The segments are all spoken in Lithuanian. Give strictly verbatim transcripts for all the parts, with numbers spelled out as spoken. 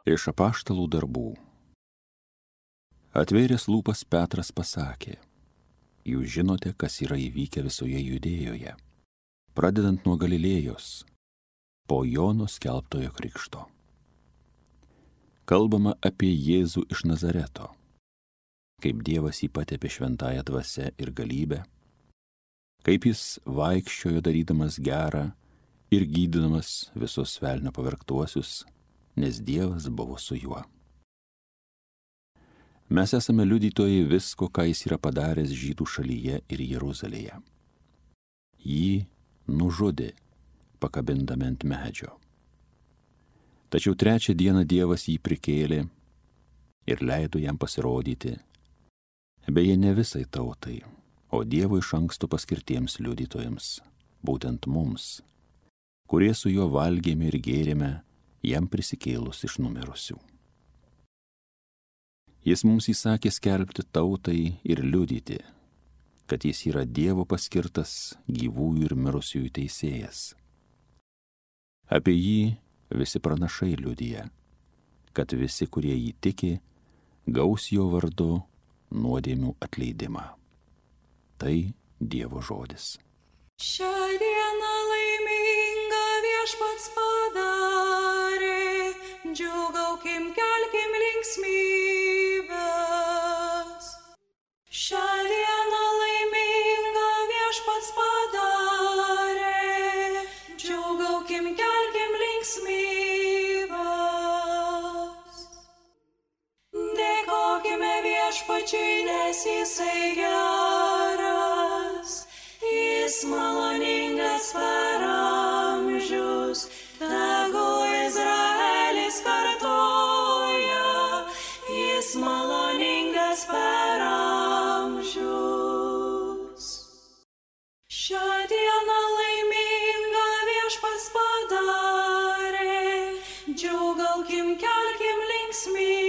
Iš apaštalų darbų. Atvėręs lūpas Petras pasakė: Jūs žinote, kas yra įvykę visoje Judėjoje, pradedant nuo Galilėjos, po Jono skelbtojo krikšto. Kalbama apie Jėzų iš Nazareto, kaip Dievas jį patepė šventąja dvasia ir galybę, kaip jis vaikščiojo darydamas gerą ir gydydamas visus velnio pavergtuosius, nes Dievas buvo su juo. Mes esame liudytojai visko, ką jis yra padaręs Žydų šalyje ir Jeruzalėje. Jį nužudė, pakabindami ant medžio. Tačiau trečią dieną Dievas jį prikėlė ir leido jam pasirodyti, beje, ne visai tautai, o Dievo iš anksto paskirtiems liudytojams, būtent mums, kurie su juo valgėme ir gėrėme, jam prisikėlus iš numirusių. Jis mums įsakė skelbti tautai ir liudyti, kad jis yra Dievo paskirtas gyvųjų ir mirusiųjų teisėjas. Apie jį visi pranašai liudija, kad visi, kurie jį tiki, gaus jo vardu nuodėmių atleidimą. Tai Dievo žodis. Šią dieną laiminga Viešpats padarė, džiūgaukim, kelkim linksmybes. Šią dieną laiminga Viešpats padarė, džiūgaukim, kelkim linksmybes. Dėkokime Viešpačiui, nes jisai geras, jis maloningas per amžius, tegu Izraelis kartoja, jis maloningas per amžius. Šią dieną laiminga Viešpats padarė, džiūgaukim, kelkim linksmybes.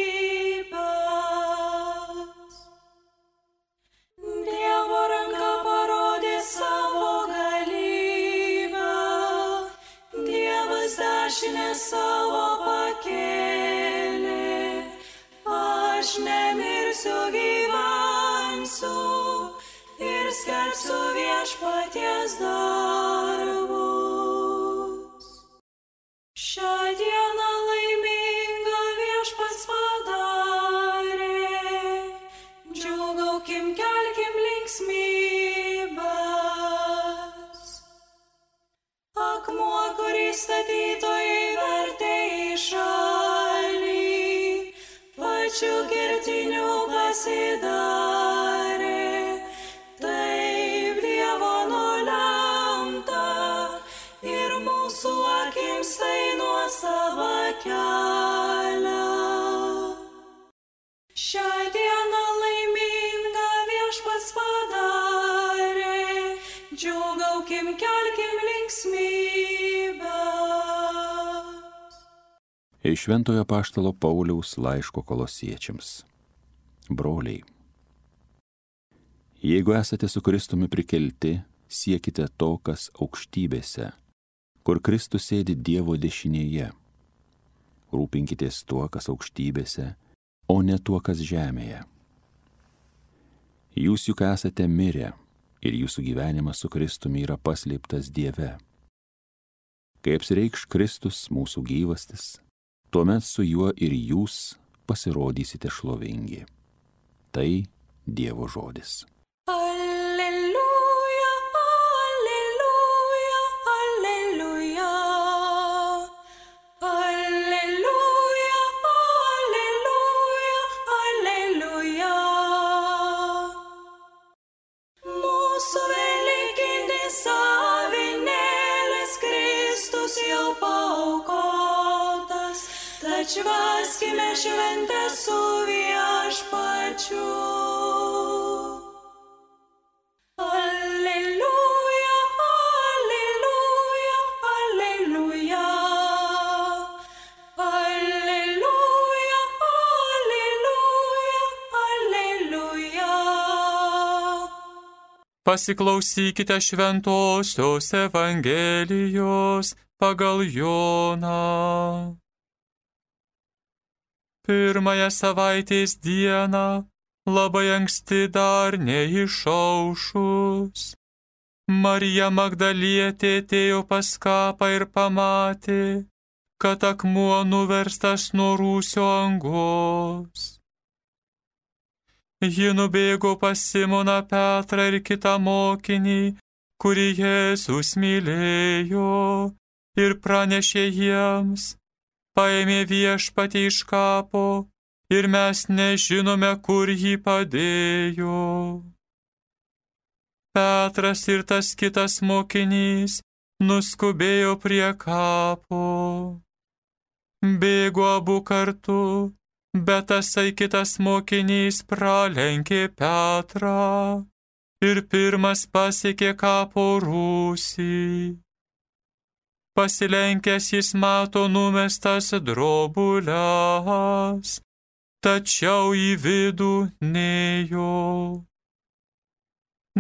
Dievo ranka parodė savo galybę, Dievas dešinę savo pakėlė. Aš nemirsiu, gyvensiu ir skelbsiu Viešpaties darbus. Šią dieną laiminga Viešpats padarė, džiūgaukim, kelkim linksmybes. Akmuo, kurį statytojai vertė į šalį, pačiu kertiniu pasidarė. Taip Dievo nulemta ir mūsų akims tai nuosava kelia. Šią dieną laiminga Viešpats padarė, džiūgaukim, kelkim linksmybes. Iš Šventojo apaštalo Pauliaus laiško Kolosiečiams. Broliai, jeigu esate su Kristumi prikelti, siekite to, kas aukštybėse, kur Kristus sėdi Dievo dešinėje. Rūpinkitės tuo, kas aukštybėse, o ne tuo, kas žemėje. Jūs juk esate mirę ir jūsų gyvenimas su Kristumi yra paslėptas Dieve. Kai apsireikš Kristus, mūsų gyvastis, tuomet su juo ir jūs pasirodysite šlovingi. Tai Dievo žodis. Alleluja, alleluja, alleluja. Alleluja, alleluja, alleluja. Mūsų velykinis avinėlis Kristus jau paaukotas, tad švęskime šventę su Viešpačiu. Alleluja, alleluja, alleluja. Alleluja, alleluja, alleluja. Pasiklausykite šventosios Evangelijos pagal Joną. Pirmąją savaitės dieną, labai anksti dar neišaušus, Marija Magdalietė atėjo pas kapą ir pamatė, kad akmuo nuverstas nuo rūsio angos. Ji nubėgo pas Simoną Petrą ir kitą mokinį, kurį Jėzus mylėjo, ir pranešė jiems: paėmė viešpatį iš kapo ir mes nežinome, kur jį padėjo. Petras ir tas kitas mokinys nuskubėjo prie kapo. Bėgo abu kartu, bet tasai kitas mokinys pralenkė Petrą ir pirmas pasiekė kapo rūsį. Pasilenkęs jis mato numestas drobules, tačiau į vidų nėjo.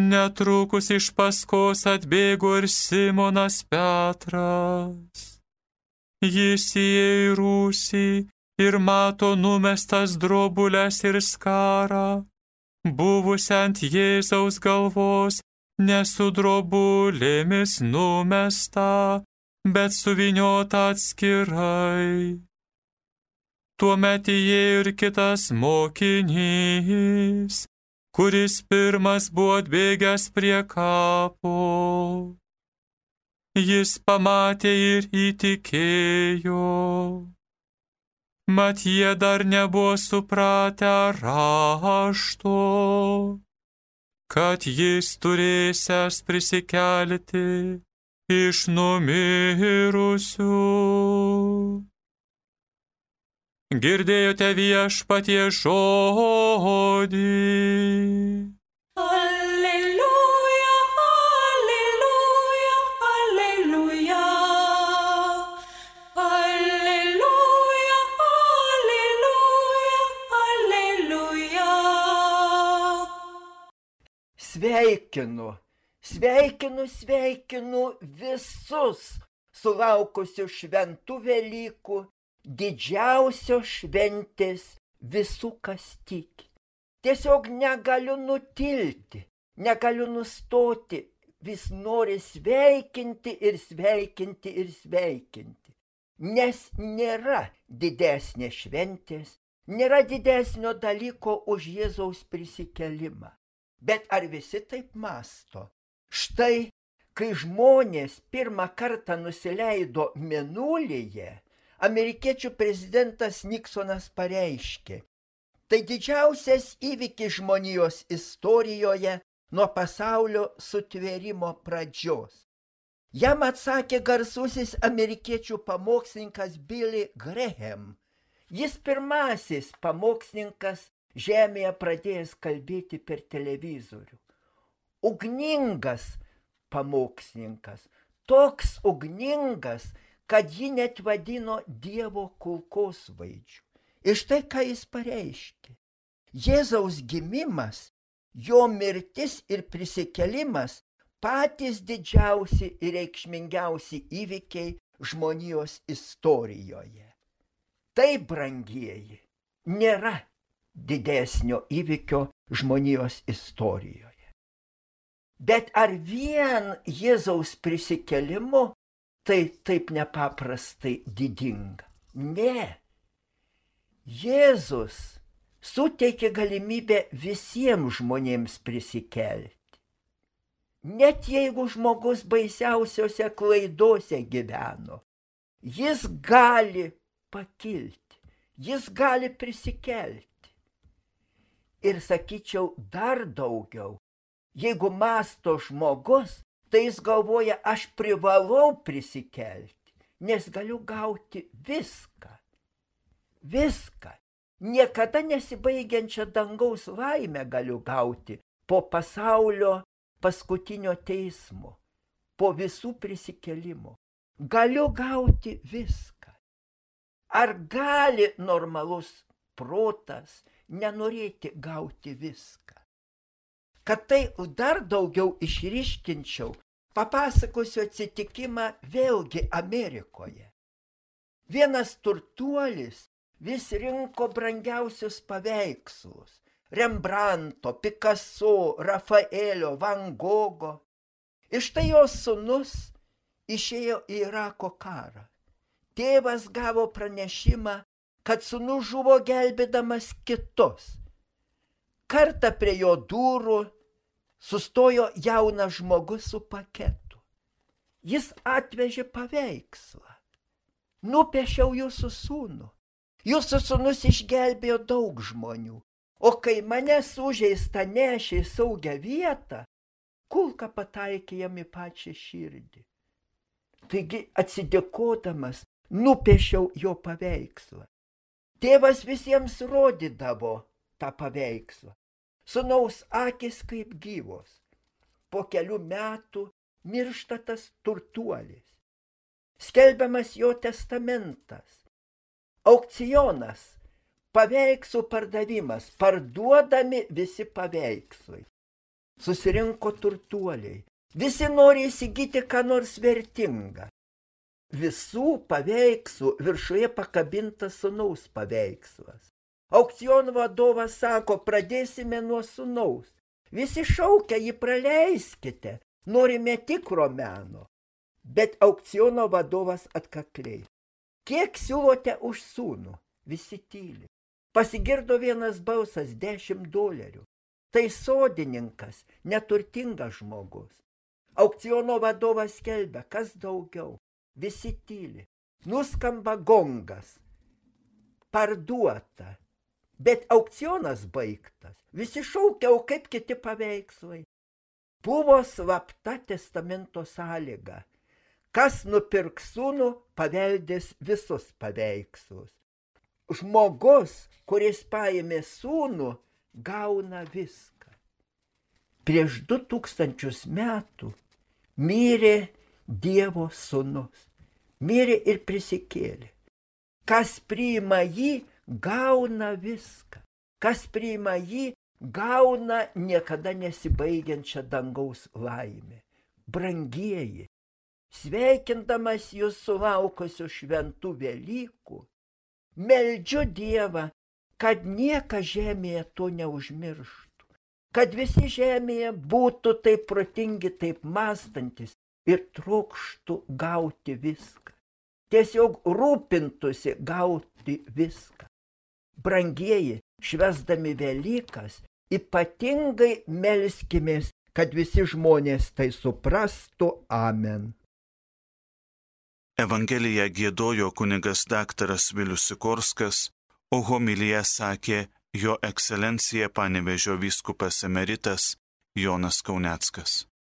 Netrukus iš paskos atbėgo ir Simonas Petras. Jis įėjo į rūsį ir mato numestas drobules ir skarą, buvusią ant Jėzaus galvos, ne su drobulėmis numesta, bet suvyniota atskirai. Tuomet įėjo ir kitas mokinys, kuris pirmas buvo atbėgęs prie kapo. Jis pamatė ir įtikėjo. Mat jie dar nebuvo supratę rašto, kad jis turėsiąs prisikelti iš numirusių. Girdėjote Viešpaties žodį. Alleluja, alleluja, alleluja. Alleluja, alleluja, alleluja. Sveikinu, sveikinu, sveikinu visus sulaukusius šventų Velykų, didžiausios šventės visų, kas tiki. Tiesiog negaliu nutilti, negaliu nustoti, vis nori sveikinti ir sveikinti ir sveikinti. Nes nėra didesnės šventės, nėra didesnio dalyko už Jėzaus prisikelimą. Bet ar visi taip mąsto? Štai, kai žmonės pirmą kartą nusileido Mėnulyje, amerikiečių prezidentas Niksonas pareiškė: tai didžiausias įvykis žmonijos istorijoje nuo pasaulio sutvėrimo pradžios. Jam atsakė garsusis amerikiečių pamokslininkas Billy Graham. Jis pirmasis pamokslininkas žemėje pradėjęs kalbėti per televizorių. Ugningas pamokslininkas, toks ugningas, kad jį net vadino Dievo kulkosvaidžiu. Ir štai ką jis pareiškė. Jėzaus gimimas, jo mirtis ir prisikelimas patys didžiausi ir reikšmingiausi įvykiai žmonijos istorijoje. Tai, brangieji, nėra didesnio įvykio žmonijos istorijoje. Bet ar vien Jėzaus prisikelimu tai taip nepaprastai didinga? Ne. Jėzus suteikė galimybę visiems žmonėms prisikelti. Net jeigu žmogus baisiausiose klaidose gyveno, jis gali pakilti, jis gali prisikelti. Ir sakyčiau dar daugiau, jeigu mąsto žmogus, tai jis galvoja, aš privalau prisikelti, nes galiu gauti viską. Viską. Niekada nesibaigiančią dangaus laimę galiu gauti po pasaulio paskutinio teismo, po visų prisikelimų. Galiu gauti viską. Ar gali normalus protas nenorėti gauti viską? Kad tai dar daugiau išryškinčiau, papasakosiu atsitikimą vėlgi Amerikoje. Vienas turtuolis vis rinko brangiausius paveikslus – Rembranto, Picasso, Rafaelio, Van Gogo. Iš tai jos sūnus išėjo į Irako karą. Tėvas gavo pranešimą, kad sūnus žuvo gelbėdamas kitus. Kartą prie jo durų sustojo jaunas žmogus su paketu. Jis atvežė paveikslą. Nupiešiau jūsų sūnų. Jūsų sūnus išgelbėjo daug žmonių. O kai mane sužeistą nešė į saugią vietą, kulka pataikė jam į pačią širdį. Taigi atsidėkodamas nupiešiau jo paveikslą. Tėvas visiems rodydavo tą paveikslą. Sūnaus akis kaip gyvos. Po kelių metų miršta tas turtuolis. Skelbiamas jo testamentas. Aukcionas. Paveikslų pardavimas. Parduodami visi paveikslai. Susirinko turtuoliai. Visi nori įsigyti ką nors vertingą. Visų paveikslų viršuje pakabintas sūnaus paveikslas. Aukciono vadovas sako, pradėsime nuo sūnaus. Visi šaukia, jį praleiskite, norime tikro meno. Bet aukciono vadovas atkakliai. Kiek siūlote už sūnų? Visi tyli. Pasigirdo vienas balsas, dešimt dolerių. Tai sodininkas, neturtingas žmogus. Aukciono vadovas skelbia, kas daugiau. Visi tyli. Nuskamba gongas. Parduota. Bet aukcionas baigtas. Visi šaukia, o kaip kiti paveikslai. Buvo slapta testamento sąlyga. Kas nupirks sūnų, paveldės visus paveikslus. Žmogus, kuris paėmė sūnų, gauna viską. Prieš du tūkstančius metų mirė Dievo sūnus. Mirė ir prisikėlė. Kas priima jį, gauna viską. Kas priima jį, gauna niekada nesibaigiančią dangaus laimę. Brangieji, sveikindamas jūs sulaukusių šventų Velykų, meldžiu Dievą, kad niekas žemėje to neužmirštų, kad visi žemėje būtų taip protingi, taip mąstantis ir trokštų gauti viską. Tiesiog rūpintųsi gauti viską. Brangieji, švęsdami Velykas, ypatingai melskimės, kad visi žmonės tai suprastų. Amen. Evangeliją giedojo kunigas daktaras Vilius Sikorskas, o homiliją sakė jo ekscelencija Panevėžio vyskupas emeritas Jonas Kauneckas.